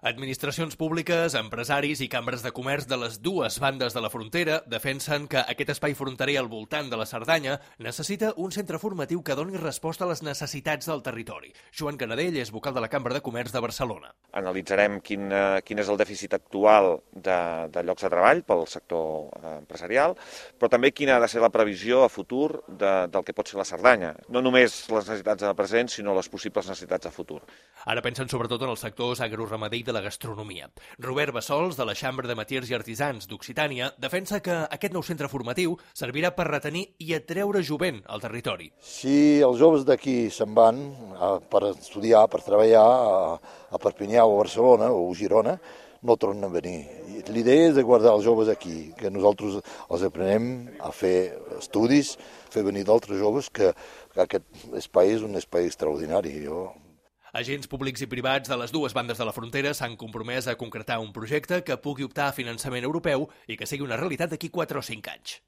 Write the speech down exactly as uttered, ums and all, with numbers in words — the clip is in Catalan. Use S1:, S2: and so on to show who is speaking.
S1: Administracions públiques, empresaris i cambres de comerç de les dues bandes de la frontera defensen que aquest espai fronterer al voltant de la Cerdanya necessita un centre formatiu que doni resposta a les necessitats del territori. Joan Canadell és vocal de la Cambra de Comerç de Barcelona.
S2: Analitzarem quin, quin és el dèficit actual de, de llocs de treball pel sector empresarial, però també quina ha de ser la previsió a futur de, del que pot ser la Cerdanya. No només les necessitats de present, sinó les possibles necessitats de futur.
S1: Ara pensen sobretot en els sectors agroramader i de la gastronomia. Robert Bassols, de la Xambra de Metiers i Artisans d'Occitània, defensa que aquest nou centre formatiu servirà per retenir i atreure jovent al territori.
S3: Si els joves d'aquí se'n van per estudiar, per treballar a, a Perpinyà o a Barcelona o a Girona, no tornen a venir. L'idea és de guardar els joves aquí, que nosaltres els aprenem a fer estudis, fer venir d'altres joves, que, que aquest espai és un espai extraordinari. Jo...
S1: Agents públics i privats de les dues bandes de la frontera s'han compromès a concretar un projecte que pugui optar a finançament europeu i que sigui una realitat d'aquí quatre o cinc anys.